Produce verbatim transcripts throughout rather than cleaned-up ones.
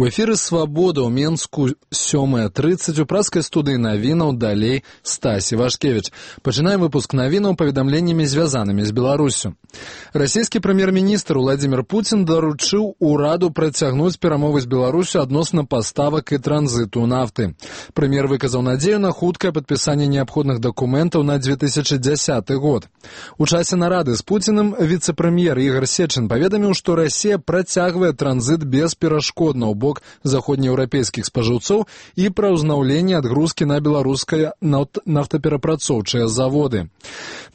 У эфіры «Свабода» ў Менску сёмая трыццаць у праскай студыі навінаў далей Стасі Вашкевіч. Пачынаем выпуск навінаў паведамленнямі, звязанымі з Беларусю. Расійскі прэм'ер-міністр Владзімір Пуцін даручыў ураду працягнуць перамовы з Беларусю адносна паставак і транзіту нафты. Прэм'ер выказаў надзею на хуткае падпісанне неабходных дакументаў на две тысячы дзясяты год. У часе нарады з Пуціным віцэ-прэм'ер Ігор Сечин паведаміў, што Расія працягвае транзіт бесперашкодна ў бок заходнееўрапейскіх спажыўцоў і пра ўзнаўленне адгрузкі на беларускія нафтаперапрацоўчыя заводы.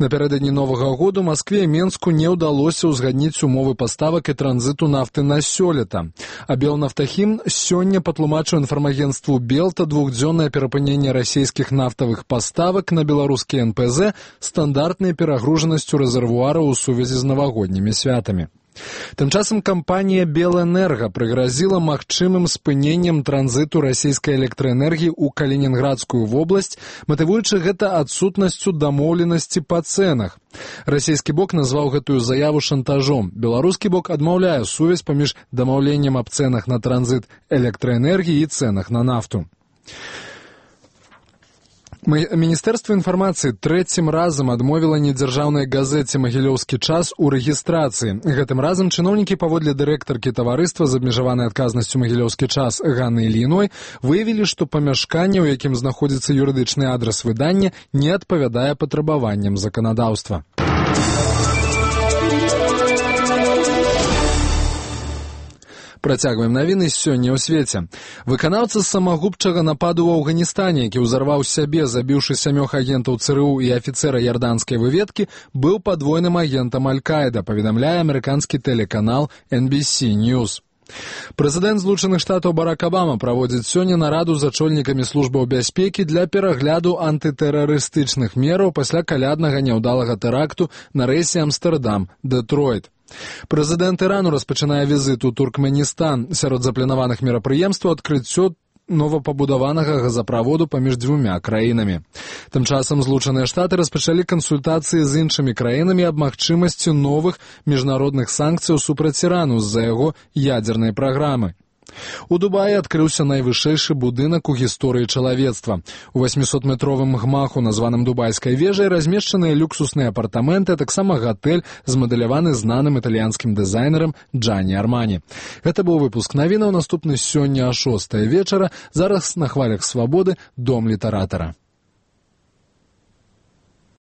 Напярэдадні Новага году Маскве і Менску не ўдалося ўзгадніць умовы паставак і транзіту нафты на сёлета. А Белнафтахім сёння патлумачыў інфармагенцтву Белта двухдзённае перапыненне расійскіх нафтавых паставак на беларускія эн пэ зэ стандартнай перагружанасцю рэзервуараў у сувязі з навагоднімі святамі. Тым часам кампанія «Белэнерга» прыгразіла магчымым спыненнем транзіту расійскай электраэнергіі ў Калінінградскую вобласць, матывуючы гэта адсутнасцю дамоўленасці па цэнах. Расійскі бок назваў гэтую заяву шантажом. Беларускі бок адмаўляе сувязь паміж дамаўленнем аб цэнах на транзіт электраэнергіі і цэнах на нафту. Міністэрства інфармацыі трэцім разам адмовіла недзяржаўнай газеце «Магілёўскі час» у рэгістрацыі. Гэтым разам чыноўнікі паводле дырэктаркі таварыства з абмежаванай адказнасцю «Магілёўскі час» Ганны Ільіной выявілі, што памяшканне, у якім знаходзіцца юрыдычны адрас выдання, не адпавядае патрабаванням заканадаўства. Працягваем навіны сёння ў свеце. Выканаўца самагубчага нападу ў Афганістане, які ўзарваў сябе, забіўшы сямёх агентаў цэ эр у і афіцэра ярданскай выведкі, быў падвойным агентам Аль-Каіда, паведамляе амерыканскі тэлеканал эн би сі News. Прэзідэнт Злучаных Штатаў Барак Абама праводзіць сёння нараду з ачольнікамі службаў бяспекі для перагляду антытэрарыстычных мераў пасля каляднага няўдалага тэракту на рэйсе Амстэрдам-Дэтройт. Прэзідэнт Ірану распачынае візіт у Туркменістан. Сярод запланаваных мерапрыемстваў адкрыццё новапабудаванага газаправоду паміж дзвюмя краінамі. Тым часам Злучаныя Штаты распачалі кансультацыі з іншымі краінамі аб магчымасці новых міжнародных санкцыяў супраць Ірану з-за яго ядзернай праграмы. У Дубаі адкрыўся найвышэйшы будынак у гісторыі чалавецтва. У васьмісотметровым гмаху, названым Дубайскай вежай, размешчаныя люксусныя апартаменты, а таксама гатэль, змадэляваны знаным італьянскім дызайнерам Джанні Армані. Гэта быў выпуск навінаў, наступны сёння а шостай вечара. Зараз на хвалях «Свабоды» дом літаратара.